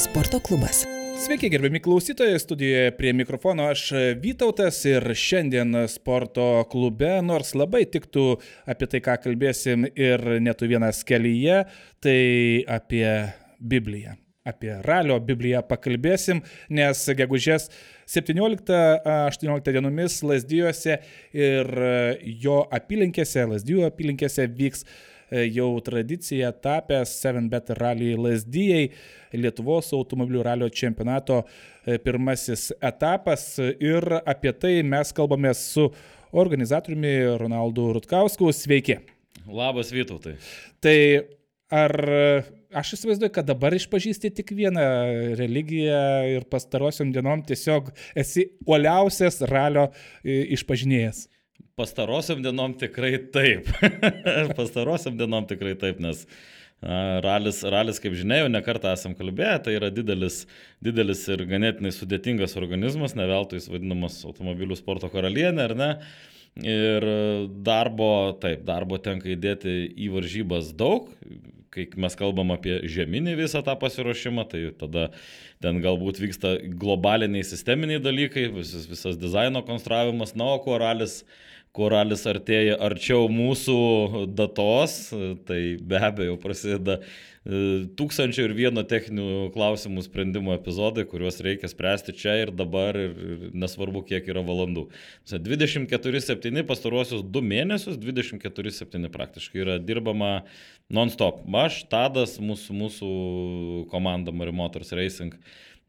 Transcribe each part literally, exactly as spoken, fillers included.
sporto klubas. Sveiki, gerbiami klausytojai, studijoje prie mikrofono aš Vytautas ir šiandien sporto klube, nors labai tiktų apie tai, ką kalbėsim ir net vienas kelyje, tai apie Bibliją. Apie ralio Bibliją pakalbėsim, nes gegužės septynioliktą aštuonioliktą dienomis Lazdijuose ir jo apylinkėse, Lazdijų apylinkėse vyks jau tradicija tapęs seven bet Rally Lazdijai, Lietuvos automobilių ralio čempionato pirmasis etapas. Ir apie tai mes kalbame su organizatoriumi Ronaldu Rutkausku. Sveiki. Labas, Vytautai. Tai ar aš įsivaizduoju, kad dabar išpažįsti tik vieną religiją ir pastarosiom dienom tiesiog esi uoliausias ralio išpažinėjas? Pastarosiam dienom tikrai taip. Pastarosiam dienom tikrai taip, nes ralis, ralis, kaip žinia, jau nekartą esam kalbėję, tai yra didelis, didelis ir ganėtinai sudėtingas organizmas, ne veltui jis vadinamas automobilių sporto karalienė, ar ne? Ir darbo, taip, darbo tenka įdėti į varžybas daug. Kai mes kalbam apie žeminį visą tą pasiruošimą, tai tada ten galbūt vyksta globaliniai sisteminiai dalykai, visas, visas dizaino konstravimas, na, o kuo ralis Kuo ralis artėja arčiau mūsų datos, tai be abejo prasideda tūkstančio ir vieno techninių klausimų sprendimo epizodai, kuriuos reikia spręsti čia ir dabar, ir nesvarbu kiek yra valandų. dvidešimt keturi septyni pastaruosius du mėnesius, dvidešimt keturi septyni praktiškai yra dirbama non-stop. Aš, Tadas, mūsų, mūsų komanda Mari Motors Racing,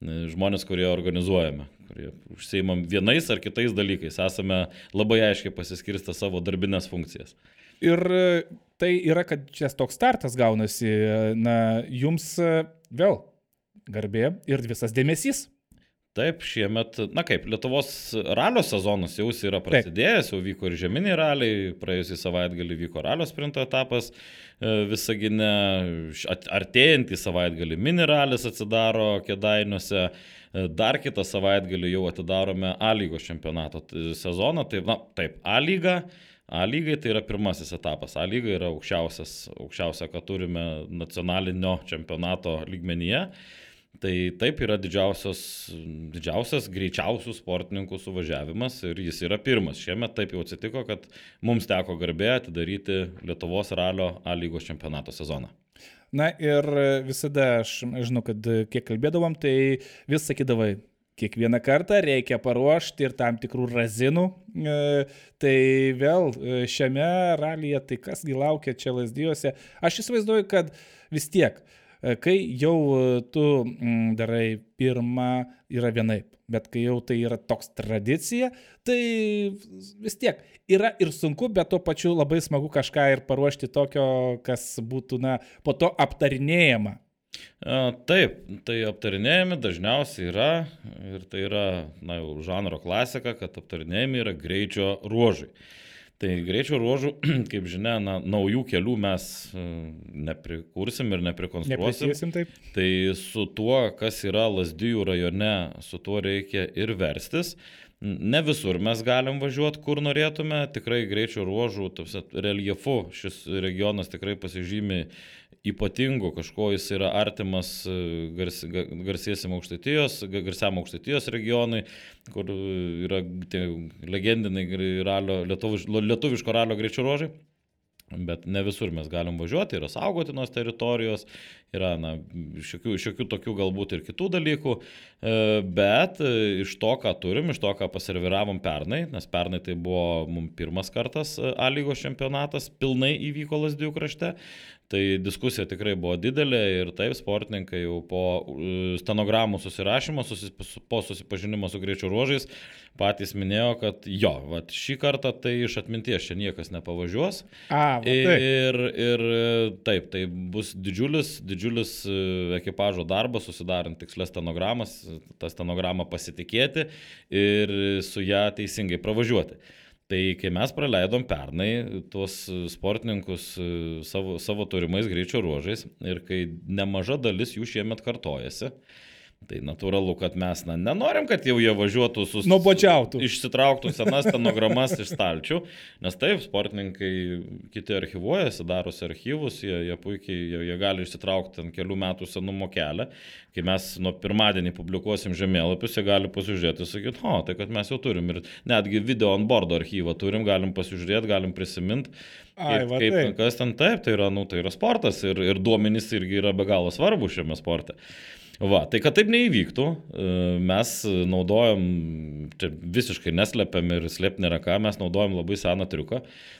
žmonės, kurie organizuojame, kurie užsiimam vienais ar kitais dalykais, esame labai aiškiai pasiskirstę savo darbinės funkcijas. Ir tai yra, kad čia toks startas gaunasi, na, jums vėl garbė ir visas dėmesys. Taip, šiemet, na kaip, Lietuvos ralio sezonas jau yra prasidėjęs, jau vyko ir žeminiai raliai, praėjusį savaitgalį vyko ralio sprinto etapas Visagine, artėjantį savaitgalį mini ralis atsidaro Kėdainiuose, dar kitą savaitgalį jau atidarome A lygos čempionato sezoną, tai, na, taip, A lyga, A lygai tai yra pirmasis etapas, A lyga yra aukščiausias, aukščiausia, ką turime nacionalinio čempionato lygmenyje. Tai taip yra didžiausias, didžiausias greičiausių sportininkų suvažiavimas ir jis yra pirmas. Šiemet taip jau atsitiko, kad mums teko garbė atidaryti Lietuvos ralio A lygos čempionato sezoną. Na ir visada aš žinau, kad kiek kalbėdavom, tai vis sakydavai, kiekvieną kartą reikia paruošti ir tam tikrų razinų. E, tai vėl šiame ralyje, tai kasgi laukia čia Lazdijuose. Aš įsivaizduoju, kad vis tiek, kai jau tu darai pirmą, yra vienaip, bet kai jau tai yra toks tradicija, tai vis tiek yra ir sunku, bet tuo pačiu labai smagu kažką ir paruošti tokio, kas būtų, na, po to aptarinėjama. Taip, tai aptarinėjami dažniausiai yra ir tai yra, na, jau žanro klasika, kad aptarinėjami yra greičio ruožai. Tai greičio ruožų, kaip žinia, na, naujų kelių mes neprikursim ir neprikonstruosim. Taip. Tai su tuo, kas yra Lazdijų rajone, su tuo reikia ir verstis. Ne visur mes galim važiuoti, kur norėtume. Tikrai greičio ruožų, reljefu, šis regionas tikrai pasižymi ypatingu, kažko jis yra artimas gars, garsiesiam Aukštaitijos, garsiam Aukštaitijos regionui, kur yra tie legendiniai ralio, lietuviš, lietuviško ralio greičio ruožai. Bet ne visur mes galim važiuoti, yra saugotinos teritorijos, yra, na, šiokių, šiokių tokių galbūt ir kitų dalykų, bet iš to, ką turim, iš to, ką paserviravom pernai, nes pernai tai buvo mums pirmas kartas A lygos čempionatas, pilnai įvyko Lazdijų krašte, tai diskusija tikrai buvo didelė ir taip sportininkai jau po stenogramų susirašymo, susis, po susipažinimo su greičio ruožais patys minėjo, kad jo, vat, šį kartą tai iš atminties čia niekas nepavažiuos. A, va, taip. Ir, ir taip, tai bus didžiulis, didžiulis ekipažo darbas, susidarant tikslės stenogramas, tą stenogramą pasitikėti ir su ją teisingai pravažiuoti. Tai kai mes praleidom pernai tuos sportininkus savo, savo turimais greičio ruožais ir kai nemaža dalis jų šiemet kartojasi, Tai natūralu, kad mes na, nenorim, kad jau jie važiuotų su... Nuobodžiautų. Išsitrauktų senas stenogramas iš stalčių, nes taip, sportininkai kiti archivuojasi, darosi archyvus, jie, jie puikiai, jie, jie gali išsitraukti ten kelių metų senumo kelią. Kai mes nuo pirmadienį publikuosim žemėlapius, jie gali pasižiūrėti ir sakyti, o, tai kad mes jau turim ir netgi video on board archyvą turim, galim pasižiūrėti, galim prisiminti. Ai, kaip, va, kaip taip. kas ten taip, tai yra, nu, tai yra sportas ir, ir duomenys irgi yra be galo svarbu šiame sporte. Va, tai kad taip neįvyktų, mes naudojam, čia visiškai neslepiam ir slėpti nėra ką, mes naudojam labai seną triuką,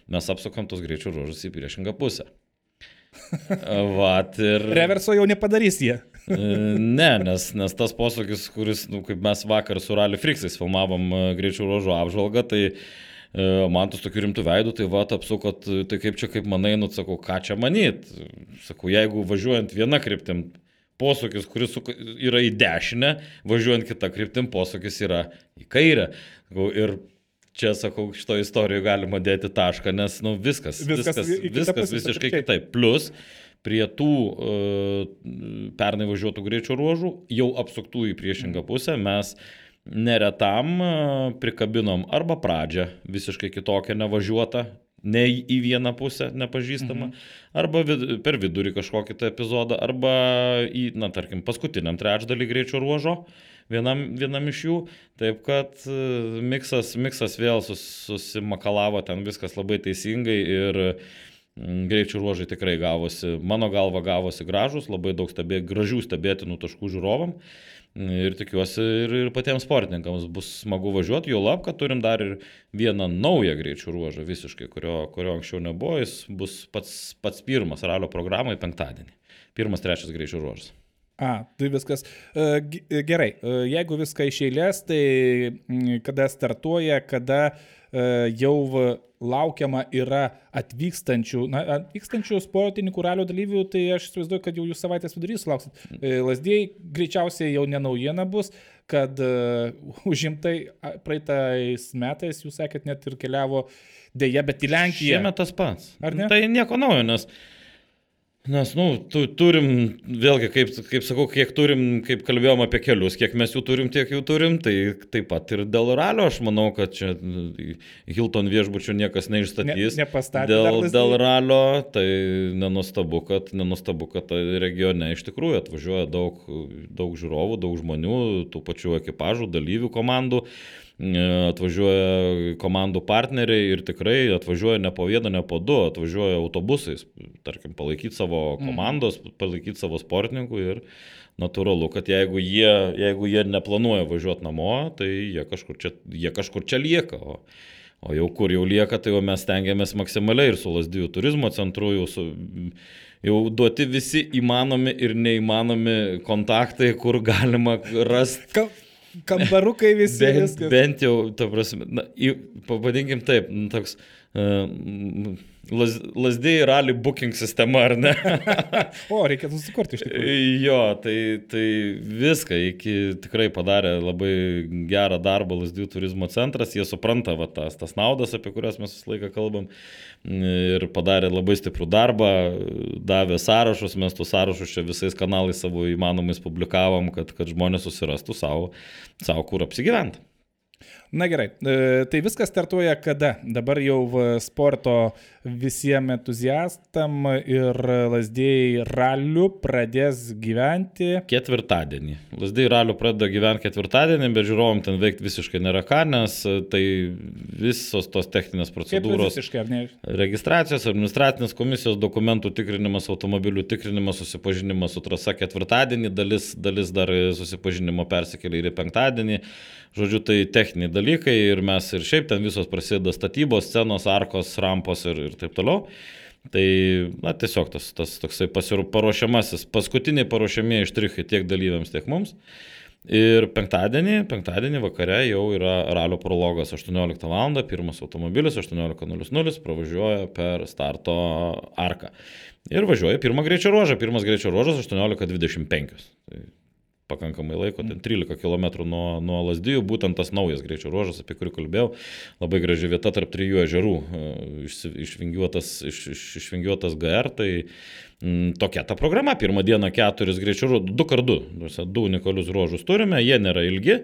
mes apsukam tos greičio ruožus į priešingą pusę. Va, ir... Reverso jau nepadarys jie. Ne, nes, nes tas posūkis, kuris, nu, kaip mes vakar su Rally Friksais filmavom greičio ruožų apžvalgą, tai man tas tokiu rimtų veidų, tai va, apsukot, tai kaip čia, kaip manai, nu, sakau, ką čia manyt? Sakau, jeigu važiuojant viena kryptim, posūkis, kuris yra į dešinę, važiuojant kitą kryptim, posūkis yra į kairę. Ir čia, sakau, šito istorijoje galima dėti tašką, nes nu, viskas, viskas, viskas, viskas visiškai kitaip. Plus, prie tų uh, pernai važiuotų greičio ruožų, jau apsuktų į priešingą pusę, mes neretam uh, prikabinom arba pradžią visiškai kitokią nevažiuotą, ne į vieną pusę nepažįstamą, mhm. arba vid, per vidurį kažkokį tą epizodą, arba į, na, tarkim, paskutiniam trečdalį greičio ruožo, vienam, vienam iš jų. Taip kad miksas, miksas vėl sus, susimakalavo, ten viskas labai teisingai ir greičio ruožai tikrai gavosi, mano galva gavosi gražus, labai daug stebė, gražių stebėtinų taškų žiūrovam. Ir tikiuosi ir, ir patiems sportininkams bus smagu važiuoti, jau lab, kad turim dar ir vieną naują greičių ruožą visiškai, kurio, kurio anksčiau nebuvo, jis bus pats, pats pirmas ralio programai penktadienį. Pirmas, trečias greičių ruožas. A, tai viskas. Gerai, jeigu viską iš eilės, tai kada startuoja, kada jau laukiama yra atvykstančių, na, atvykstančių sportininkų ralio dalyvių, tai aš įsivaizduoju, kad jau jūs savaitės vidurys sulauksit. Lazdijai greičiausiai jau ne naujiena bus, kad uh, užimtai praeitais metais, jūs sakėt, net ir keliavo dėja, bet į Lenkiją. Šiemet tas pats. Ar ne? Tai nieko naujo, nes Nes, nu, tu, turim, vėlgi, kaip, kaip sakau, kiek turim, kaip kalbėjom apie kelius, kiek mes jų turim, tiek jų turim, tai taip pat ir dėl ralio, aš manau, kad čia Hilton viešbučių niekas neišstatys. Ne, dėl, dėl ralio, tai nenustabu, kad, nenustabu, kad regione iš tikrųjų atvažiuoja daug, daug žiūrovų, daug žmonių, tų pačių ekipažų, dalyvių komandų. Atvažiuoja komandų partneriai ir tikrai atvažiuoja ne po vieną, ne po du, atvažiuoja autobusais, tarkim, palaikyti savo komandos, palaikyti savo sportininkų ir natūralu, kad jeigu jie, jeigu jie neplanuoja važiuoti namo, tai jie kažkur čia, jie kažkur čia lieka, o, o jau kur jau lieka, tai jau mes stengiamės maksimaliai ir su Lazdijų turizmo centru, jau, su, jau duoti visi įmanomi ir neįmanomi kontaktai, kur galima rasti. Ka Kambarukai visi bent, viskas. Bent jau, ta prasme, na, pavadinkim taip, toks uh, Laz, Lazdijai rally booking sistema, ar ne? O, reikėtų susikurti iš tikrųjų. Jo, tai, tai viską iki tikrai padarė labai gerą darbą Lazdijų turizmo centras, jie supranta va, tas, tas naudas, apie kurias mes visą laiką kalbam, ir padarė labai stiprų darbą, davė sąrašus, mes tų sąrašus čia visais kanalais savo įmanomais publikavom, kad, kad žmonės susirastų savo, savo kur apsigyventi. Na gerai, tai viskas startuoja kada? Dabar jau sporto visiems entuziastam ir Lazdijai ralių pradės gyventi. Ketvirtadienį. Lazdijai ralių pradeda gyventi ketvirtadienį, bet žiūrovom ten veikti visiškai nėra ką, nes tai visos tos techninės procedūros. Kaip visiškai, ar ne? Registracijos, administracinės komisijos, dokumentų tikrinimas, automobilių tikrinimas, susipažinimas su trasa ketvirtadienį, dalis, dalis dar susipažinimo persikėlė ir į penktadienį. Žodžiu, tai techniniai dalykai ir mes ir šiaip ten visos prasideda statybos, scenos, arkos, rampos ir, ir taip toliau. Tai, na, tiesiog tas, tas toksai paruošiamasis, paskutiniai paruošiamieji štrichai tiek dalyviams, tiek mums. Ir penktadienį, penktadienį vakare jau yra ralio prologas aštuonioliktą valandą, pirmas automobilis aštuoniolika nulis nulis pravažiuoja per starto arką. Ir važiuoja pirmą greičio ruožą, pirmas greičio ruožas aštuoniolika dvidešimt penki. Tai pakankamai laiko, ten trylika kilometrų nuo, nuo Lazdijų, būtent tas naujas greičio ruožas, apie kurį kalbėjau, labai graži vieta tarp trijų ežerų, išvingiuotas, iš, iš, išvingiuotas G R, tai m, tokia ta programa, pirmą dieną keturis greičio ruožus, du kart du, du unikalius ruožus turime, jie nėra ilgi,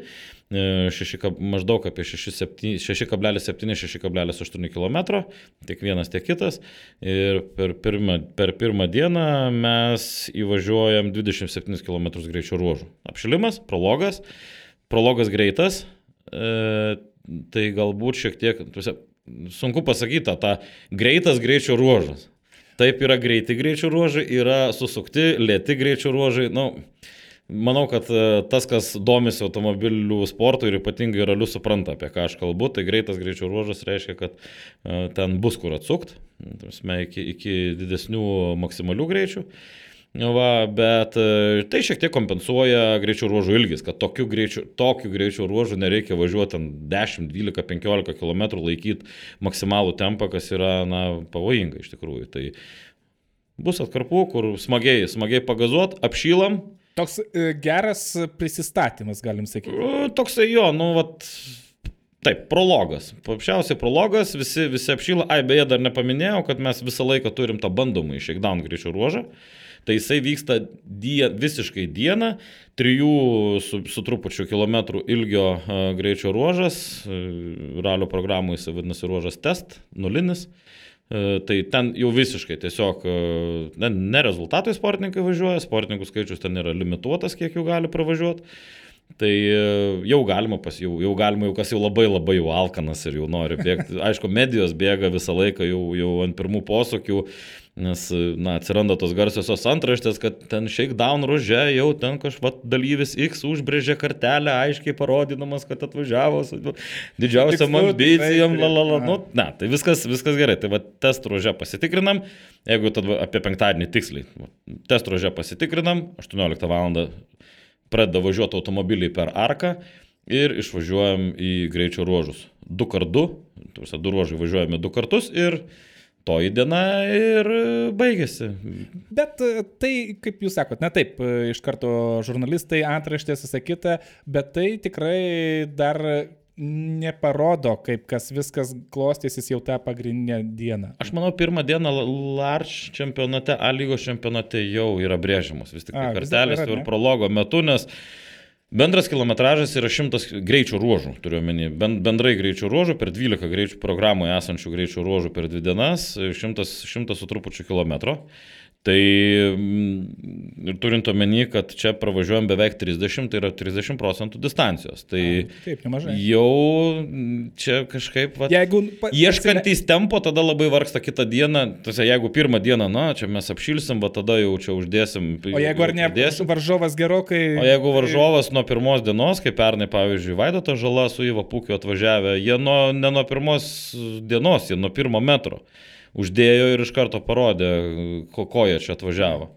šeši, maždaug apie šeši kablelis septyni šeši kablelis aštuoni kilometro, tiek vienas, tiek kitas. Ir per pirmą, per pirmą dieną mes įvažiuojam dvidešimt septynis kilometrus greičio ruožų. Apšilimas, prologas, prologas greitas, e, tai galbūt šiek tiek, sunku pasakyti, tą greitas greičio ruožas. Taip yra greiti greičio ruožai, yra susukti, lėti greičio ruožai, nu... Manau, kad tas, kas domisi automobilių sportu ir ypatingai raliu supranta, apie ką aš kalbu, tai greitas greičio ruožas reiškia, kad ten bus kur atsukt, iki, iki didesnių maksimalių greičių. Va, bet tai šiek tiek kompensuoja greičio ruožų ilgis, kad tokiu greičiu, tokiu greičio ruožu nereikia važiuoti dešimt, dvylika, penkiolika kilometrų, laikyti maksimalų tempą, kas yra na, pavojinga iš tikrųjų. Tai bus atkarpų, kur smagiai, smagiai pagazuot, apšylam. Toks e, geras prisistatymas, galim sakyti. Toksai jo, nu, vat, taip, prologas. Paprasčiausiai prologas, visi, visi apšyla. Ai, beje, dar nepaminėjau, kad mes visą laiką turim tą bandomą shakedown greičio ruožą. Tai jisai vyksta die, visiškai dieną, trijų su, su trupučiu kilometrų ilgio uh, greičio ruožas. Uh, ralio programų jisai vadinasi ruožas test, nulinis. Uh, tai ten jau visiškai tiesiog uh, ne, ne rezultatai sportininkai važiuoja, sportininkų skaičius ten yra limituotas, kiek jų gali pravažiuoti. Tai uh, jau galima, pas, jau, jau galima, jau kas jau labai labai jau alkanas ir jau nori bėgti. Aišku, medijos bėga visą laiką jau, jau ant pirmų posūkių, nes na, atsiranda tos garsiosios antraštės, kad ten shakedown ruože jau ten kažvat dalyvis X užbrėžė kartelę, aiškiai parodydamas, kad atvažiavo su didžiausiam ambicijom, lalala, nu, ne, tai viskas, viskas gerai. Tai va, test ruože pasitikrinam, jeigu tada apie penktadienį tiksliai, test ruože pasitikrinam, aštuonioliktą valandą pradeda važiuoti automobiliai per arką ir išvažiuojam į greičio ruožus. Du kart du, du ruožai važiuojame du kartus ir toji diena ir baigėsi. Bet tai, kaip jūs sakot, na taip, iš karto žurnalistai, antraštės, visą kitą, bet tai tikrai dar neparodo, kaip kas viskas klostysis jau tą pagrindinę dieną. Aš manau, pirmą dieną Large čempionate, A lygos čempionate jau yra brėžiamos vis tik A, kartelės ir prologo metu, nes bendras kilometražas yra šimtas greičių ruožų, turiu omeny, bendrai greičių ruožų, per dvylika greičių programoje esančių greičių ruožų per dvi dienas, šimtas, šimtas su trupučiu kilometro. Tai ir turint omeny, kad čia pravažiuojam beveik trisdešimt, tai yra trisdešimt procentų distancijos. Tai A, taip, nemažai. Jau čia kažkaip, va, jeigu, pa, ieškantys tempo, tada labai vargsta kitą dieną. Tose, jeigu pirmą dieną, na, čia mes apšilsim, va, tada jau čia uždėsim. O jeigu ar ne, varžovas gerokai... O jeigu varžovas nuo pirmos dienos, kaip pernai, pavyzdžiui, Vaidotas Žala su Iva Pukiu atvažiavę, jie nuo, ne nuo pirmos dienos, jie nuo pirmo metro uždėjo ir iš karto parodė, ko, ko jie čia atvažiavo.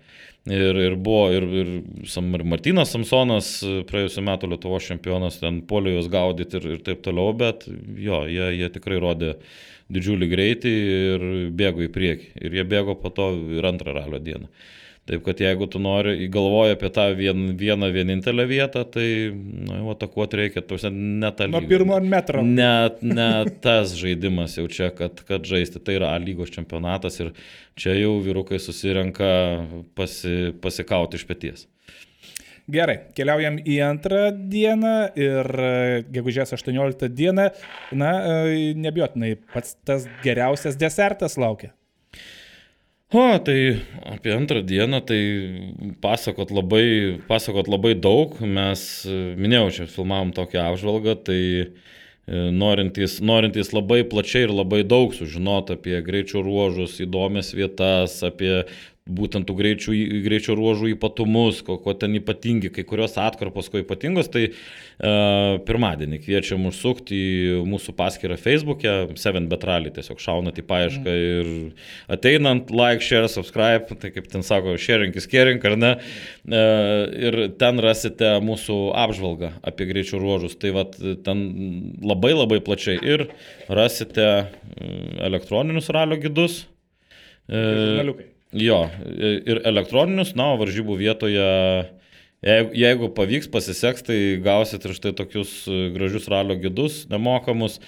Ir, ir buvo ir, ir, ir Martynas Samsonas, praėjusiu metu Lietuvos čempionas, ten puolė juos gaudyti ir, ir taip toliau, bet jo, jie, jie tikrai rodė didžiulį greitį ir bėgo į priekį. Ir jie bėgo po to ir antrą ralio dieną. Taip, kad jeigu tu nori, galvoji apie tą vien, vieną vienintelę vietą, tai nu, atakuoti reikia, tuose ne tą lygą. Nuo pirmo metro. Ne, ne tas žaidimas jau čia, kad, kad žaisti. Tai yra A lygos čempionatas ir čia jau vyrukai susirenka pasi, pasikauti iš peties. Gerai, keliaujam į antrą dieną ir gegužės aštuonioliktą dieną, na, nebijotinai, pats tas geriausias desertas laukia. O, tai apie antrą dieną, tai pasakot labai, pasakot labai daug, mes, minėjau, čia filmavom tokią apžvalgą, tai norintys, norintys labai plačiai ir labai daug sužinoti apie greičio ruožus, įdomias vietas, apie būtent tų greičių, greičio ruožų ypatumus, ko, ko ten ypatingi, kai kurios atkarpos, ko ypatingos, tai e, pirmadienį kviečiam užsukti į mūsų paskyrą Facebook'e, seven bet rally, tiesiog šaunat į paiešką ir ateinant, like, share, subscribe, tai kaip ten sako, sharing is caring, ar ne, e, ir ten rasite mūsų apžvalgą apie greičio ruožus, tai vat ten labai labai plačiai ir rasite elektroninius ralio gidus. E, Jo, ir elektroninius, na, o varžybų vietoje Jeigu, jeigu pavyks, pasiseks, tai gausit ir štai tokius gražius ralio gidus, nemokamus.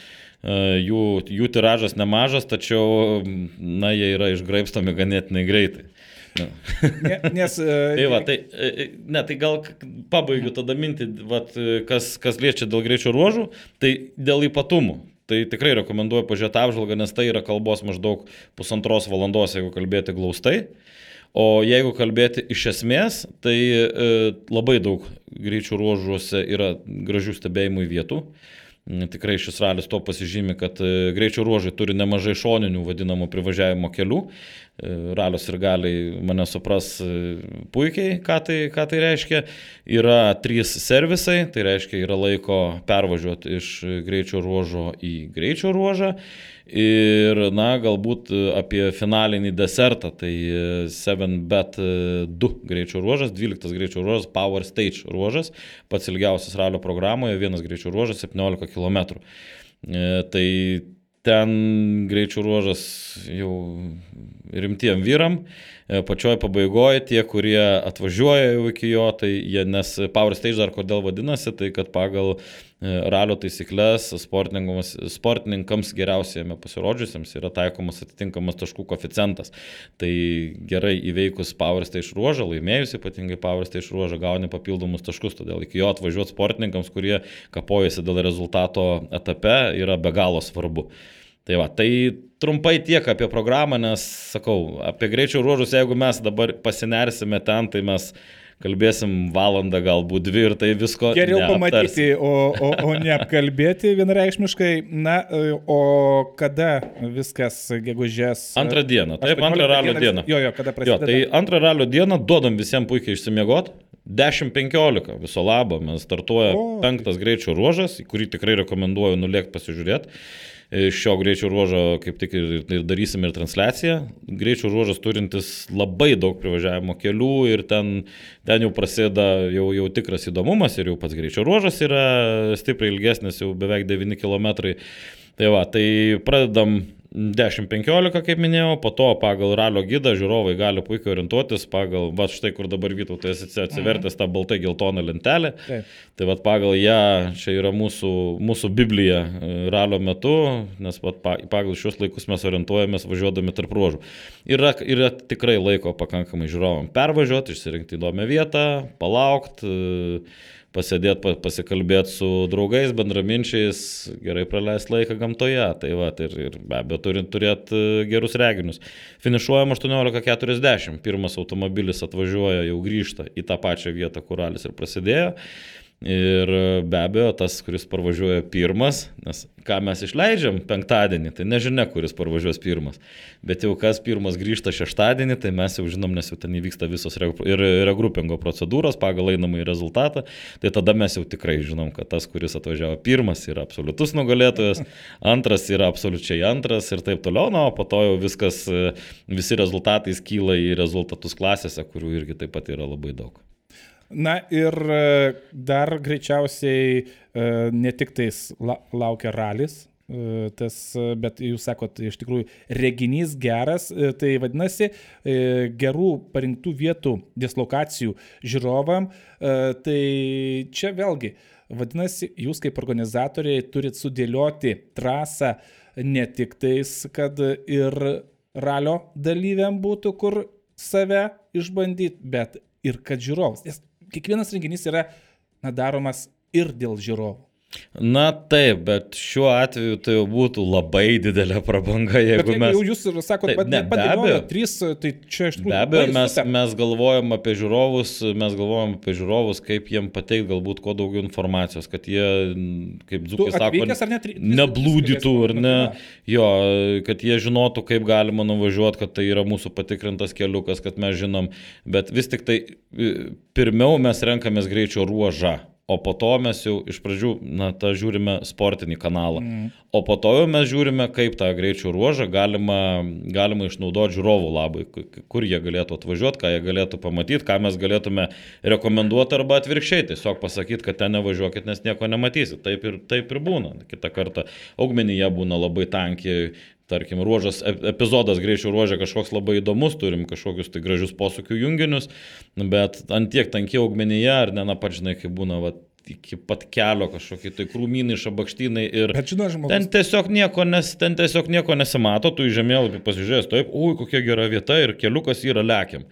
Jų, jų tiražas nemažas, tačiau, na, jie yra išgraibstomi ganėtinai greitai. Na. Ne, nes... tai va, tai, ne, tai gal pabaigiu tada mintį, vat, kas, kas liečia dėl greičio ruožų, tai dėl ypatumų. Tai tikrai rekomenduoju pažiūrėti apžvalgą, nes tai yra kalbos maždaug pusantros valandos, jeigu kalbėti glaustai. O jeigu kalbėti iš esmės, tai e, labai daug greičių ruožuose yra gražių stebėjimų vietų. Tikrai šis ralis to pasižymi, kad greičio ruožai turi nemažai šoninių vadinamų privažiavimo kelių. Ralios ir galiai mane supras puikiai, ką tai, ką tai reiškia. Yra trys servisai, tai reiškia yra laiko pervažiuoti iš greičio ruožo į greičio ruožą. Ir, na, galbūt apie finalinį desertą, tai seven bet du greičio ruožas, dvyliktas greičio ruožas, Power Stage ruožas, pats ilgiausias ralio programoje, vienas greičio ruožas, septyniolika kilometrų. Tai ten greičio ruožas jau rimtiem vyram, pačioj pabaigoje tie, kurie atvažiuoja jau iki jo, tai jie, nes Power Stage dar kodėl vadinasi, tai kad pagal ralio taisyklės sportininkams, sportininkams geriausiai pasirodžiusiems yra taikomas atitinkamas taškų koeficientas. Tai gerai įveikus Power Stage ruožą, laimėjus ypatingai Power Stage ruožą, gauni papildomus taškus, todėl iki jo atvažiuoti sportininkams, kurie kapojasi dėl rezultato etape, yra be galo svarbu. Tai va, tai trumpai tiek apie programą, nes, sakau, apie greičio ruožus, jeigu mes dabar pasinersime ten, tai mes kalbėsim valandą, galbūt dvi ir tai visko geriau pamatyti, o, o, o ne apkalbėti vienareikšmiškai. Na, o kada viskas gegužės? Antrą dieną, taip, antrą ralio dieną. Jo, jo, kada prasideda? Jo, tai antrą ralio dieną duodam visiems puikiai išsimiegot. dešimt penkiolika viso labo, mes startuoja o, penktas greičio ruožas, kurį tikrai rekomenduoju nulėkti pasižiūrėti. Šio greičio ruožo kaip tik ir, ir darysim ir transliaciją. Greičio ruožas turintis labai daug privažiavimo kelių ir ten, ten jau prasideda jau, jau tikras įdomumas ir jau pats greičio ruožas yra stipriai ilgesnis, jau beveik devyni kilometrai. Tai va, tai pradedam dešimt penkiolika, kaip minėjau, po to pagal ralio gidą žiūrovai gali puikiai orientuotis pagal, va štai kur dabar Vytautai atsivertęs tą baltai geltoną lentelę. Taip. Tai va pagal ją, čia yra mūsų, mūsų Biblija ralio metu, nes va, pagal šios laikus mes orientuojamės važiuodami tarp ruožų. Yra, yra tikrai laiko pakankamai žiūrovam pervažiuoti, išsirinkti įdomią vietą, palaukti, pasėdėti, pasikalbėti su draugais, bendraminčiais, gerai praleisti laiką gamtoje. Tai va, ir, ir be abejo turint turėti gerus reginius. Finišuojam aštuoniolika keturiasdešimt. Pirmas automobilis atvažiuoja, jau grįžta į tą pačią vietą, kur ralis ir prasidėjo. Ir be abejo, tas, kuris parvažiuoja pirmas, nes ką mes išleidžiam penktadienį, tai nežinia, kuris parvažiuos pirmas. Bet jau kas pirmas grįžta šeštadienį, tai mes jau žinom, nes jau ten įvyksta visos ir regrupingo procedūros pagal einamąjį rezultatą. Tai tada mes jau tikrai žinom, kad tas, kuris atvažiavo pirmas, yra absoliutus nugalėtojas, antras yra absoliučiai antras ir taip toliau. Na, o po to jau viskas, visi rezultatai skyla į rezultatus klasėse, kurių irgi taip pat yra labai daug. Na ir dar greičiausiai ne tik tais laukia ralis, tas, bet jūs sakot, iš tikrųjų reginys geras, tai vadinasi gerų parinktų vietų dislokacijų žiūrovam, tai čia vėlgi, vadinasi, jūs kaip organizatoriai turit sudėlioti trasą ne tik tais, kad ir ralio dalyviam būtų kur save išbandyti, bet ir kad žiūrovas. Nes kiekvienas renginys yra na, daromas ir dėl žiūrovų. Na taip, bet šiuo atveju tai jau būtų labai didelė prabanga, jeigu bet, mes... Jau jūs sakote, bet nepadėliojo trys, tai čia iš tikrųjų... Be abejo, mes, mes galvojam apie žiūrovus, mes galvojam apie žiūrovus, kaip jiem pateikti galbūt kuo daugiau informacijos, kad jie, kaip dzūkai sako, ne, neblūdytų, ar ne, jo, kad jie žinotų, kaip galima nuvažiuoti, kad tai yra mūsų patikrintas keliukas, kad mes žinom, bet vis tik tai pirmiau mes renkamės greičio ruožą. O po to mes jau iš pradžių, na, tą žiūrime sportinį kanalą. Mm. O po to jau mes žiūrime, kaip tą greičio ruožą galima, galima išnaudoti žiūrovų labai, kur jie galėtų atvažiuoti, ką jie galėtų pamatyti, ką mes galėtume rekomenduoti arba atvirkščiai. Tiesiog pasakyti, kad ten nevažiuokit, nes nieko nematysit. Taip ir, taip ir būna. Kitą kartą augmenyje būna labai tankiai. tarkim, ruožas, epizodas greičio ruožė kažkoks labai įdomus, turim kažkokius tai gražius posūkių junginius, bet ant tiek tankiai augmenyje, ar ne, na, pat žinai, kai būna, va, iki pat kelio kažkokie tai krūmynai, šabakštynai ir žino, žmogus... ten, tiesiog nieko nes, ten tiesiog nieko nesimato, tu į žemėlapį pasižiūrės, taip, ui, kokia gera vieta ir keliukas yra lekiam.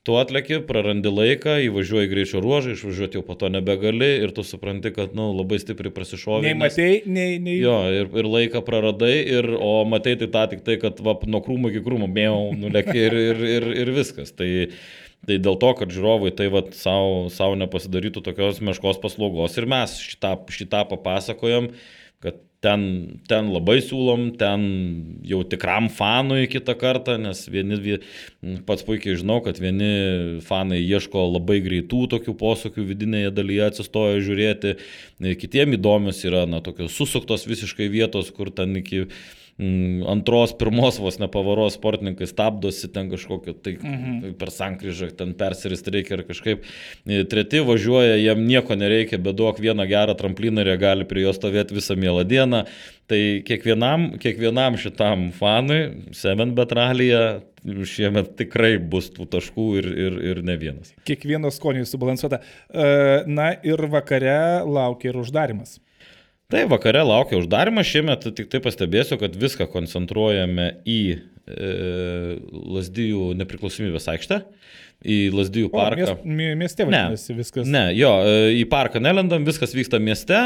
Tu atleki, prarandi laiką, įvažiuoji greičio ruožą, išvažiuoti jau po to nebegali ir tu supranti, kad nu, labai stipriai prasišovė. Nei matei, nei... nei... Jo, ir, ir laiką praradai, ir, o matei tai tą tik tai, kad va, nuo krūmų iki krūmų mėjau, nuleki ir, ir, ir, ir viskas. Tai... Tai dėl to, kad žiūrovai tai vat savo, savo nepasidarytų tokios meškos paslaugos ir mes šitą, šitą papasakojam, kad ten, ten labai siūlom, ten jau tikram fanui kitą kartą, nes vieni, pats puikiai žinau, kad vieni fanai ieško labai greitų tokių posūkių vidinėje dalyje atsistoja žiūrėti, kitiem įdomios yra na, tokios susuktos visiškai vietos, kur ten iki... antros, pirmos vos nepavaros sportininkai stabdosi ten kažkokio, tai mhm. per sankryžą ten persirist reikia ar kažkaip. Treti važiuoja, jam nieko nereikia, bet duok vieną gerą trampliną ir jie gali prie jo stovėti visą mielą dieną. Tai kiekvienam, kiekvienam šitam fanui, Seven Bet ralyje šiemet tikrai bus tų taškų ir, ir, ir ne vienas. Kiekvieno skoniui subalansuota. Na ir vakare laukia ir uždarimas. Tai vakare laukia uždarimas, šiemet tik tai pastebėsiu, kad viską koncentruojame į e, Lazdijų nepriklausomybės aikštę, į Lazdijų parką. O, miest, mieste vadinasi viskas. Ne, jo, į parką nelendam, viskas vyksta mieste,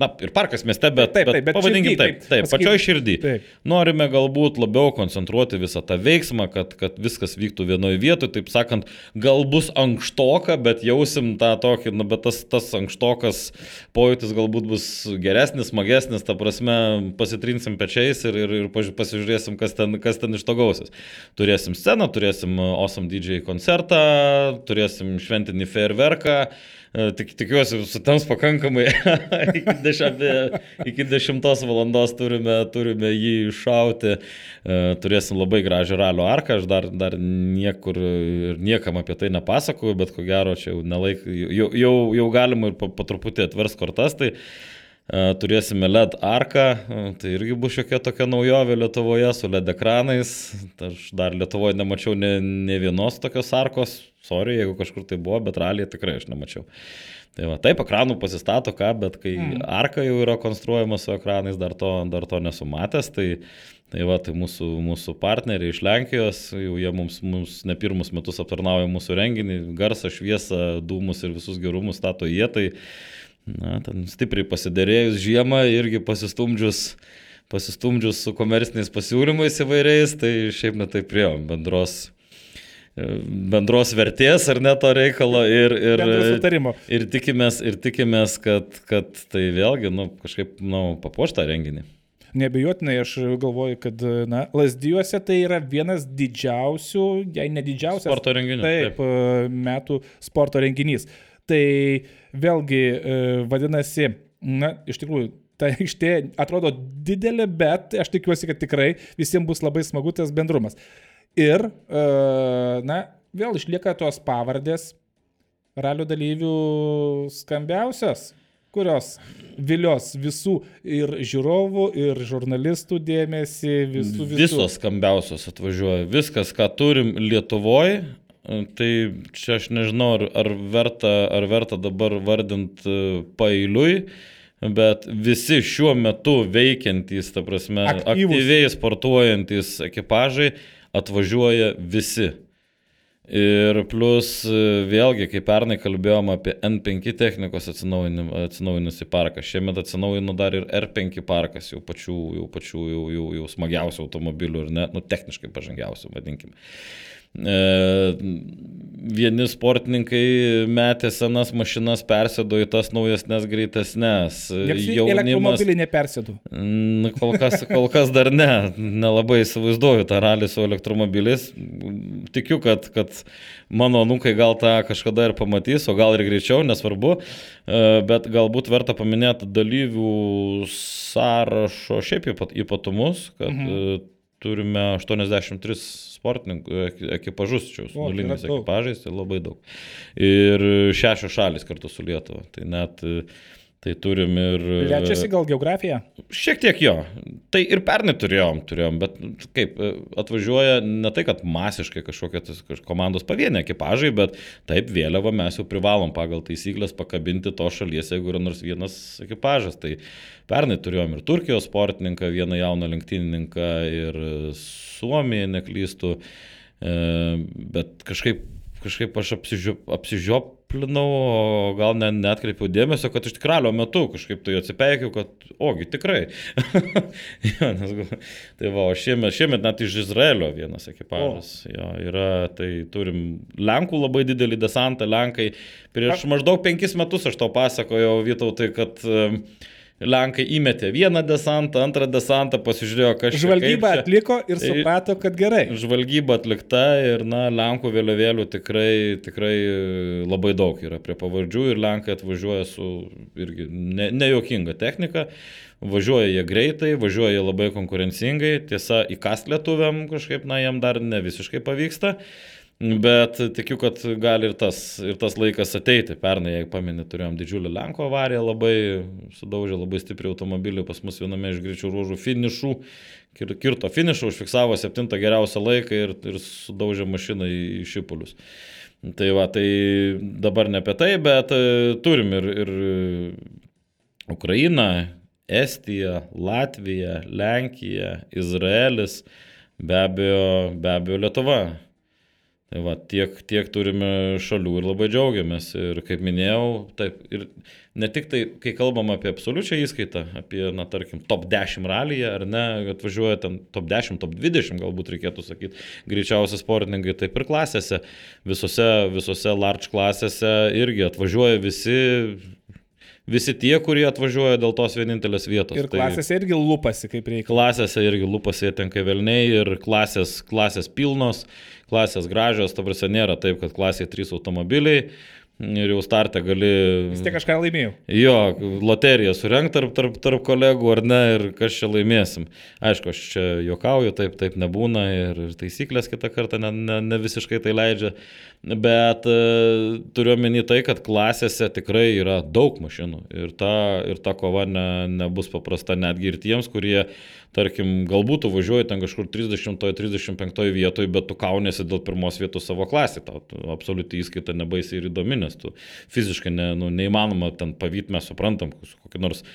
na ir parkas mieste, bet, taip, taip, bet, bet pavadinkim širdį, taip, taip, taip pačioj širdį. Taip. Norime galbūt labiau koncentruoti visą tą veiksmą, kad, kad viskas vyktų vienoje vietoje, taip sakant, gal bus ankštoka, bet jausim tą tokį, na, bet tas, tas ankštokas pojūtis galbūt bus geresnis, smagesnis, ta prasme pasitrinsim pečiais ir, ir, ir pasižiūrėsim, kas ten, kas ten iš to gausis. Turėsim sceną, turėsim Awesome D J koncertą, turėsim šventinį fejerverką, tik, tikiuosi sutems pakankamai, iki, dešim, iki dešimtos valandos turime, turime jį iššauti, turėsim labai gražią ralio arką, aš dar, dar niekur ir niekam apie tai nepasakoju, bet ko gero čia jau, nelaik, jau, jau, jau galima ir po, po truputį atvers kortas, tai turėsime L E D arką, tai irgi bus šiokia tokia naujovė Lietuvoje su L E D ekranais. Aš dar Lietuvoje nemačiau ne, ne vienos tokios arkos, sorry, jeigu kažkur tai buvo, bet ralyje tikrai aš nemačiau. Tai va, taip, ekranų pasistato ką, bet kai mm. arka jau yra konstruojama su ekranais, dar to, dar to nesu matęs. Tai, tai va, tai mūsų, mūsų partneriai iš Lenkijos, jau jie mums, mums ne pirmus metus aptarnauja mūsų renginį, garsą, šviesą, dūmus ir visus gerumus stato jie, tai na, ten stipriai pasiderėjus žiemą, irgi pasistumdžius, pasistumdžius su komerciniais pasiūlymais įvairiais, tai šiaip netai priejom bendros, bendros vertės ar ne to reikalo ir, ir, ir tikimės, ir tikimės kad, kad tai vėlgi nu, kažkaip nu, papuoš tą renginį. Neabejotinai, aš galvoju, kad na, Lazdijuose tai yra vienas didžiausių, jei ne didžiausias, sporto renginys, taip, taip. metų sporto renginys. Tai vėlgi vadinasi, na, iš tikrųjų, ta aikštė atrodo didelė, bet aš tikiuosi, kad tikrai visiems bus labai smagu tas bendrumas. Ir, na, vėl išlieka tos pavardės ralio dalyvių skambiausios, kurios vilios visų ir žiūrovų, ir žurnalistų dėmesį, visų visų. Visos skambiausios atvažiuoja, viskas, ką turim Lietuvoje. Tai čia aš nežinau, ar, ar, verta, ar verta dabar vardint paeiliui, bet visi šiuo metu veikiantys, ta prasme, aktyvus, aktyviai sportuojantys ekipažai atvažiuoja visi. Ir plus vėlgi, kai pernai kalbėjom apie N penki technikos atsinaujinusį parką, šiemet atsinaujino dar ir R penki parkas, jau pačių, jau, pačių jau, jau, jau smagiausių automobilių ir ne, nu, techniškai pažangiausių, vadinkime. E, vieni sportininkai metė senas mašinas, persėdo į tas naujesnes, greitesnes. Jaunimas... Elektromobilį nepersėdo? Kol kas, kol kas dar ne, nelabai įsivaizduoju tą ralį su elektromobiliais. Tikiu, kad, kad mano anūkai gal tą kažkada ir pamatys, o gal ir greičiau, nesvarbu. Bet galbūt verta paminėti dalyvių sąrašo šiaip ypatumus, kad mhm. turime aštuoniasdešimt tris sportininkų ekipažus, čia su nuliniais ekipažais, tai labai daug. Ir šešios šalis kartu su Lietuva. Tai net, Tai turim ir... Plečiasi gal geografija? Šiek tiek jo. Tai ir pernai turėjom, turėjom, bet kaip, atvažiuoja ne tai, kad masiškai kažkokie tas, komandos pavieniai ekipažai, bet taip vėliavą mes jau privalom pagal taisyklės pakabinti to šalies, jeigu yra nors vienas ekipažas. Tai pernai turėjom ir Turkijos sportininką, vieną jauną lenktynininką ir Suomiją, neklystų, bet kažkaip kažkaip aš apsižiop, apsižioplinau, o gal ne, neatkreipiau dėmesio, kad iš tikralio metu kažkaip tai atsipeikiau, kad ogi tikrai. jo, nes, tai va, o šiemet, šiemet net iš Izraelio vienas ekipažas. Jo, yra, tai turim Lenkų labai didelį desantą, Lenkai. Prieš maždaug penkis metus aš tau pasakojau, Vytautai, kad Lenkai įmetė vieną desantą, antrą desantą, pasižiūrėjo, kas čia. Žvalgyba atliko ir suprato, kad gerai. Žvalgyba atlikta ir, na, Lenkų vėliavėlių tikrai, tikrai labai daug yra prie pavardžių ir Lenkai atvažiuoja su irgi ne, nejuokinga technika. Važiuoja jie greitai, važiuoja jie labai konkurencingai. Tiesa, įkast lietuviam kažkaip, na, jiem dar ne visiškai pavyksta. Bet tikiu, kad gali ir tas, ir tas laikas ateiti. Pernai, jei pameni, turėjom didžiulį Lenko avariją, labai sudaužė labai stipriai automobilį pas mus viename iš greičių ruožų finišų. Kirto finišą, užfiksavo septintą geriausią laiką ir, ir sudaužė mašiną į, į šipulius. Tai va, tai dabar ne apie tai, bet turim ir, ir Ukrainą, Estiją, Latviją, Lenkiją, Izraelis, be abejo, be abejo Lietuva. Tai va, tiek, tiek turime šalių ir labai džiaugiamės. Ir kaip minėjau, taip, ir ne tik tai, kai kalbam apie absoliučią įskaitą, apie, na, tarkim, top dešimt ralyje, ar ne, atvažiuoja ten top dešimt, top dvidešimt, galbūt reikėtų sakyti, greičiausi sportininkai, taip ir klasėse, visose, visose large klasėse irgi atvažiuoja visi, visi tie, kurie atvažiuoja dėl tos vienintelės vietos. Ir klasėse tai irgi lupasi, kaip reikia. Klasėse irgi lupasi tenka velniai ir klasės, klasės pilnos, klasės gražios, ta prasme nėra taip, kad klasėje trys automobiliai ir jau startę gali... Vis tiek kažką laimėjau. Jo, loteriją surenkt tarp, tarp, tarp kolegų ar ne ir kas čia laimėsim. Aišku, aš čia juokauju, taip, taip nebūna ir taisyklės kitą kartą ne, ne, ne visiškai tai leidžia. Bet e, turiu omeny tai, kad klasėse tikrai yra daug mašinų ir ta, ir ta kova ne, nebus paprasta netgi ir tiems, kurie, tarkim, galbūt tu važiuoji ten kažkur trisdešimtoje, trisdešimt penktoje vietoje, bet tu kauniesi dėl pirmos vietos savo klasį. Tau absoliuti įskaita nebaisiai ir įdomi, nes tu fiziškai ne, nu, neįmanoma ten pavyti, mes suprantam, kokį nors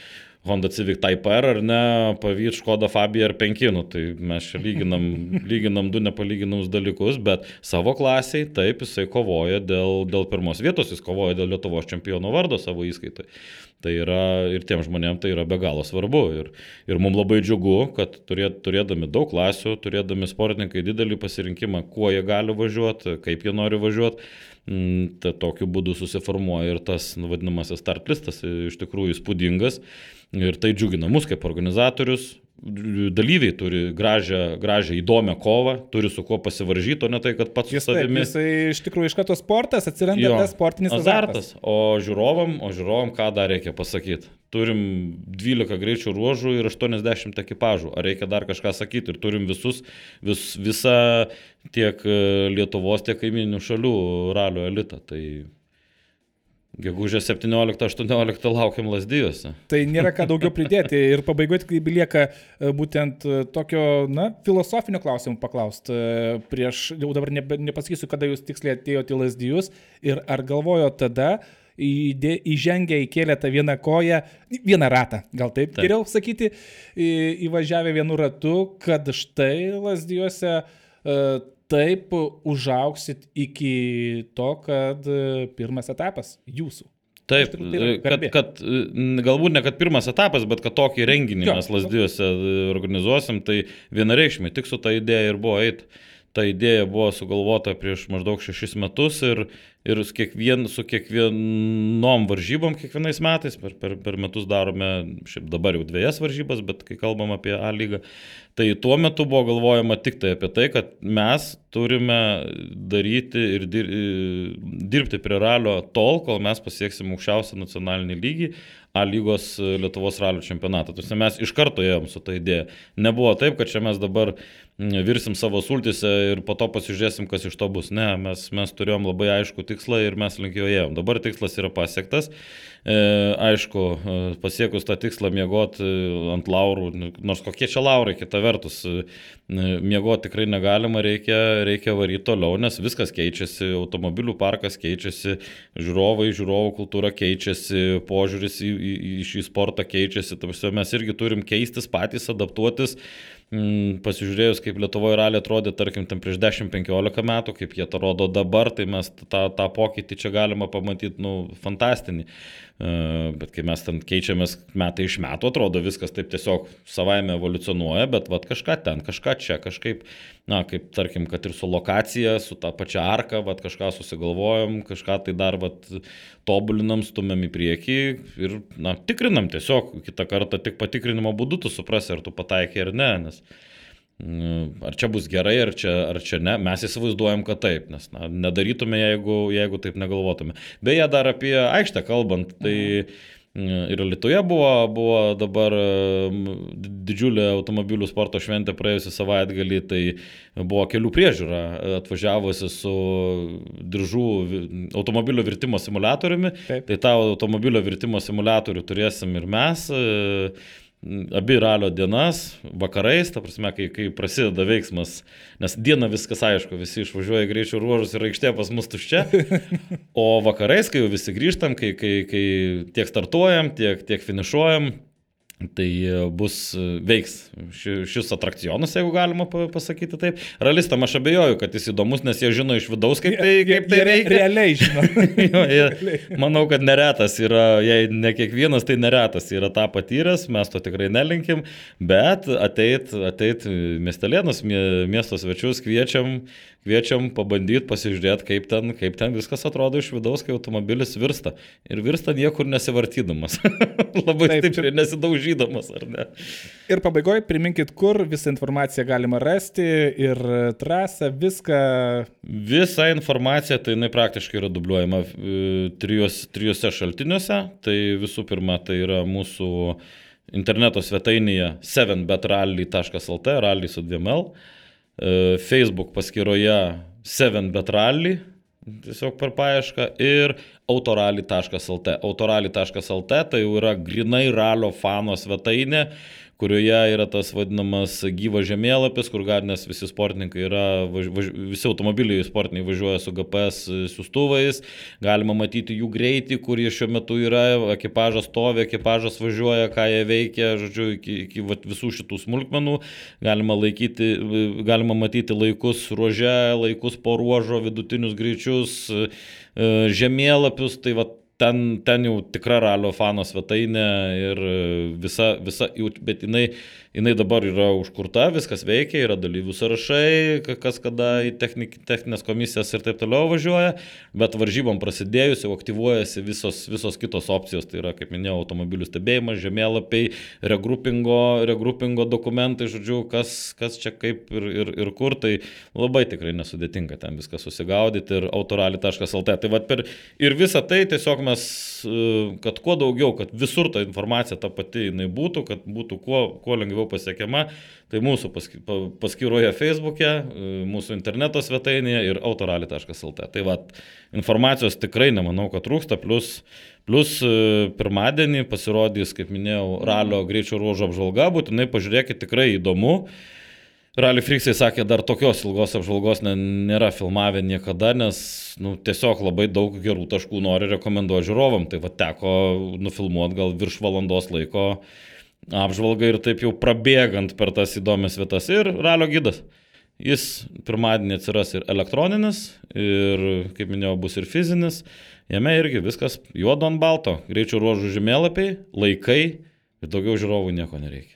Honda Civic Type R ar ne, pavyti Škoda Fabia R penki, nu, tai mes čia lyginam, lyginam du nepalyginamus dalykus, bet savo klasiai taip jisai kovoja dėl, dėl pirmos vietos, jis kovoja dėl Lietuvos čempiono vardo savo įskaitai. Tai yra ir tiem žmonėm tai yra be galo svarbu ir, ir mums labai džiugu, kad turėt, turėdami daug klasių, turėdami sportininkai didelį pasirinkimą, kuo jie gali važiuoti, kaip jie nori važiuoti, tai tokiu būdu susiformuoja ir tas vadinamasis start listas iš tikrųjų įspūdingas ir tai džiugina mus kaip organizatorius. Dalyviai turi gražią, gražią įdomią kovą, turi su kuo pasivaržyti, o ne tai, kad pats su savimi. Jis tai iš tikrųjų iš karto sportas, atsiranda jo, tas sportinis azartas. azartas. O žiūrovam, o žiūrovam ką dar reikia pasakyti? Turim dvylika greičių ruožų ir aštuoniasdešimt ekipažų. Ar reikia dar kažką sakyti? Ir turim visus, vis, visą tiek Lietuvos, tiek kaiminių šalių ralio elitą. Tai gegužės septynioliktą aštuonioliktą laukiam Lazdijuose. Tai nėra ką daugiau pridėti ir pabaigoje tik lieka būtent tokio, na, filosofinio klausimų paklausti. Prieš, jau dabar ne, nepasakysiu, kada jūs tiksliai atėjote į Lazdijus ir ar galvojo tada įdė, įžengę įkėlę tą vieną koją, vieną ratą, gal taip, taip. Geriau sakyti, į, įvažiavę vienu ratu, kad štai Lazdijuose uh, taip užauksit iki to, kad pirmas etapas jūsų. Taip, kad, kad galbūt ne kad pirmas etapas, bet kad tokį renginį jo, mes Lazdijuose organizuosim, tai vienareikšmiai tik su ta idėja ir buvo eiti. Ta idėja buvo sugalvota prieš maždaug šešis metus ir, ir su, kiekvien, su kiekvienom varžybom kiekvienais metais, per, per, per metus darome, šiaip dabar jau dviejas varžybas, bet kai kalbam apie A lygą, tai tuo metu buvo galvojama tik tai apie tai, kad mes turime daryti ir dir, dirbti prie ralio tol, kol mes pasieksim aukščiausią nacionalinį lygį, A lygos Lietuvos ralio čempionatą. Tuose mes iš karto ėjom su ta idėja. Nebuvo taip, kad čia mes dabar virsim savo sultise ir po to pasižiūrėsim, kas iš to bus. Ne, mes, mes turėjom labai aišku tikslą ir mes link jo ėjom. Dabar tikslas yra pasiektas. E, aišku, pasiekus tą tikslą miegoti ant laurų, nors kokie čia laurai, kita vertus, miegoti tikrai negalima, reikia, reikia varyti toliau, nes viskas keičiasi, automobilių parkas keičiasi, žiūrovai, žiūrovų kultūra keičiasi, požiūris į, į, į šį sportą keičiasi, tarsi mes irgi turim keistis patys, adaptuotis. Pasižiūrėjus, kaip Lietuvoje ralį atrodė, tarkim, ten prieš dešimt penkiolika metų, kaip jie to rodo dabar, tai mes tą, tą pokytį čia galima pamatyti, nu, fantastinį. Bet kai mes ten keičiamės metai iš metų, atrodo viskas taip tiesiog savaime evoliucionuoja, bet vat kažką ten, kažką čia, kažkaip, na, kaip tarkim, kad ir su lokacija, su ta pačia arka, vat kažką susigalvojom, kažką tai dar vat tobulinam, stumiam į priekį ir, na, tikrinam tiesiog, kitą kartą tik patikrinimo būdu tu suprasi, ar tu pataikai ar ne, nes ar čia bus gerai, ar čia, ar čia ne, mes įsivaizduojam, kad taip, nes na, nedarytume, jeigu, jeigu taip negalvotume. Beje, dar apie aikštę kalbant, tai ir Lietuvoje buvo, buvo dabar didžiulė automobilių sporto šventė praėjusią savaitgalį, tai buvo kelių priežiūra atvažiavusi su diržų automobilio virtimo simuliatoriumi, taip. Tai tą automobilio virtimo simuliatorių turėsim ir mes. Abi ralio dienas, vakarais, ta prasme, kai, kai prasideda veiksmas, nes dieną viskas aišku, visi išvažiuoja greičio ruožus ir aikštė pas mus tuščia, o vakarais, kai jau visi grįžtam, kai, kai, kai tiek startuojam, tiek, tiek finišuojam, tai bus veiks šis atrakcionas, jeigu galima pasakyti taip. Realistam aš abejoju, kad jis įdomus, nes jie žino iš vidaus, kaip tai, kaip tai reikia. Realiai žino. jo, jie, manau, kad neretas yra, jei ne kiekvienas, tai neretas yra tą patyręs, mes to tikrai nelinkim, bet ateit, ateit miestelėnus, miesto svečius kviečiam, kviečiam pabandyti, pasižiūrėti, kaip ten, kaip ten viskas atrodo iš vidaus, kai automobilis virsta. Ir virsta niekur nesivartydamas. Labai taip, stipriai nesidaužydamas, ar ne? Ir pabaigoje priminkit, kur visą informaciją galima rasti ir trasą, viską. Visa informacija, tai jinai praktiškai yra dubliuojama trijos, trijose šaltiniuose. Tai visų pirma, tai yra mūsų interneto svetainėje seven bet rally taškas el t, rally su dviem L. Facebook paskyroje seven bet rally, tiesiog per paiešką, ir autorally taškas el t. autorally taškas el t tai jau yra grinai ralio fano svetainė, kurioje yra tas vadinamas gyvas žemėlapis, kur gali, nes visi sportininkai yra, važ, važ, visi automobiliai sportiniai važiuoja su G P S siųstuvais, galima matyti jų greitį, kur jie šiuo metu yra, ekipažas stovi, ekipažas važiuoja, ką jie veikia, žodžiu, iki, iki vat, visų šitų smulkmenų, galima, laikyti, galima matyti laikus ruože, laikus po ruožo, vidutinius greičius, žemėlapius, tai vat, Ten, ten jau tikra ralio fano svetainė ir visa, visa bet jinai, jinai dabar yra užkurta, viskas veikia, yra dalyvių sąrašai, kas kada į technik, techninės komisijas ir taip toliau važiuoja, bet varžybom prasidėjus jau aktyvuojasi visos, visos kitos opcijos, tai yra, kaip minėjau, automobilių stebėjimas, žemėlapiai, regrupingo, regrupingo dokumentai, žodžiu, kas, kas čia kaip ir, ir, ir kur, tai labai tikrai nesudėtinga ten viską susigaudyti ir autorally taškas el t. Tai vat per, ir visą tai tiesiog mes, kad kuo daugiau, kad visur ta informacija ta pati jinai būtų, kad būtų kuo, kuo lengviau pasiekiama, tai mūsų paskyroje Facebook'e, mūsų interneto svetainėje ir autorally taškas el t. Tai va, informacijos tikrai nemanau, kad trūksta, plus, plus pirmadienį pasirodys, kaip minėjau, ralio greičio ruožo apžvalga, būtinai pažiūrėkit, tikrai įdomu. Rally Freaksai sakė, dar tokios ilgos apžvalgos nėra filmavę niekada, nes nu, tiesiog labai daug gerų taškų nori rekomenduoti žiūrovam. Tai va teko nufilmuoti gal virš valandos laiko apžvalgą ir taip jau prabėgant per tas įdomias vietas. Ir ralio gidas. Jis pirmadienį atsiras ir elektroninis, ir, kaip minėjau, bus ir fizinis. Jame irgi viskas juodo ant balto. Greičio ruožų žemėlapiai, laikai ir daugiau žiūrovų nieko nereikia.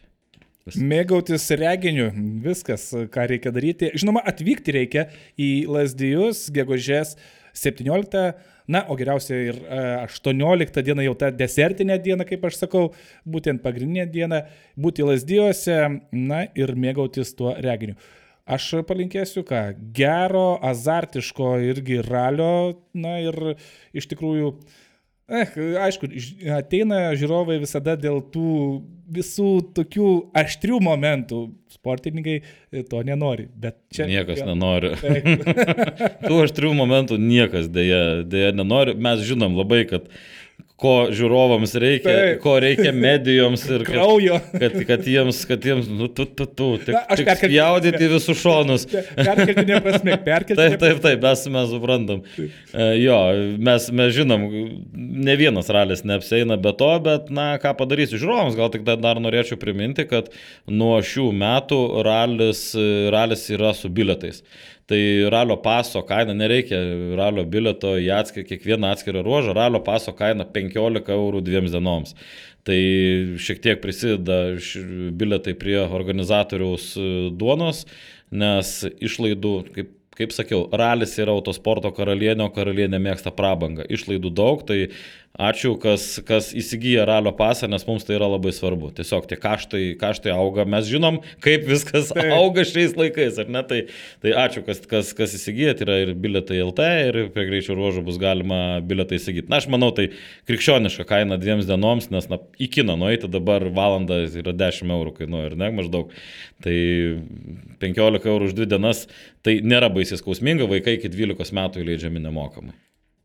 Mėgautis reginiu, viskas, ką reikia daryti. Žinoma, atvykti reikia į Lazdijus gegužės septynioliktą, na, o geriausia ir aštuonioliktą dieną, jau ta desertinė diena, kaip aš sakau, būtent pagrindinė diena, būti Lazdijuose, na, ir mėgautis tuo reginiu. Aš palinkėsiu, ką, gero, azartiško irgi ralio, na, ir iš tikrųjų Eh, aišku, ateina žiūrovai visada dėl tų visų tokių aštrių momentų. Sportininkai to nenori, bet čia... Niekas ja, nenori. Tų aštrių momentų niekas dėja, dėja nenori. Mes žinom labai, kad ko žiūrovams reikia, tai. Ko reikia medijoms ir kad, kad, kad jiems, kad jiems, nu, tu, tu, tu, tik, Na, tik spjaudyti visus šonus. Perkeltinė prasme, perkeltinė Taip, taip, taip, mes, mes suprantam. Uh, jo, mes, mes žinom, ne vienas ralis neapseina be to, bet, na, ką padarysiu žiūrovams, gal tik dar norėčiau priminti, kad nuo šių metų ralis, ralis yra su bilietais. Tai ralio paso kaina, nereikia ralio bilieto į atskir, kiekvieną atskirą ruožą, ralio paso kaina penkiolika eurų dviems dienoms. Tai šiek tiek prisideda bilietai prie organizatoriaus duonos, nes išlaidų, kaip, kaip sakiau, ralis yra autosporto karalienė, o karalienė mėgsta prabangą. Išlaidų daug, tai ačiū, kas, kas įsigyja ralio pasą, nes mums tai yra labai svarbu. Tiesiog tie kaštai, kaštai auga, mes žinom, kaip viskas tai. Auga šiais laikais, ar ne? Tai, tai ačiū, kas, kas, kas įsigyja, tai yra ir bilietai L T, ir prie greičio ruožų bus galima bilietai įsigyti. Na, aš manau, tai krikščioniška kaina dviems dienoms, nes na, į kiną nueiti dabar valandą yra dešimt eurų kainuoja, ir ne, maždaug. Tai penkiolika eurų už dvi dienas, tai nėra baisiai skausminga, vaikai iki dvylikos metų įleidžiami nemokamai.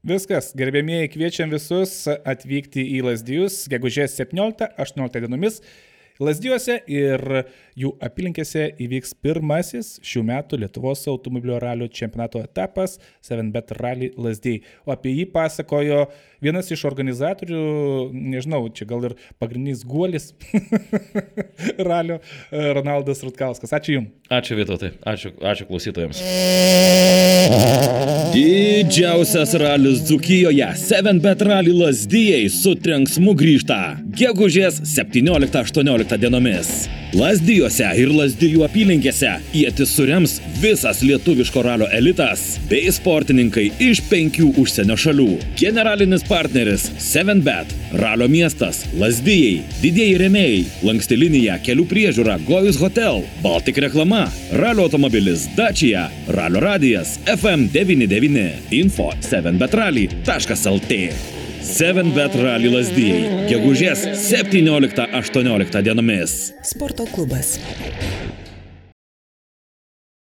Viskas, gerbėmieji, kviečiam visus atvykti į Lazdijus gegužės septynioliktą aštuonioliktą dienomis. Lazdijuose ir jų apylinkėse įvyks pirmasis šių metų Lietuvos automobilio ralio čempionato etapas seven bet Rally Lazdijai. O apie jį pasakojo vienas iš organizatorių, nežinau, čia gal ir pagrindinis guolis ralio, Ronaldas Rutkauskas. Ačiū Jums. Ačiū Vytautai, ačiū, ačiū klausytojams. Didžiausias ralis Dzūkijoje seven bet Rally Lazdijai su trenksmu grįžta gegužės septynioliktą aštuonioliktą dienomis. Lazdijuose ir Lazdijų apylinkėse ietis surems visas lietuviško ralio elitas bei sportininkai iš penkių užsienio šalių. Generalinis partneris seven bet, ralio miestas, Lazdijai, didieji rėmėjai, lanksti linija, kelių priežiūra, Gojus Hotel, Baltic reklama, ralio automobilis Dacia, ralio radijas F M devyni devyni, info seven bet rally taškas L T. seven bet Rally Lazdijai, gegužės septynioliktą aštuonioliktą dienomis. Sporto klubas.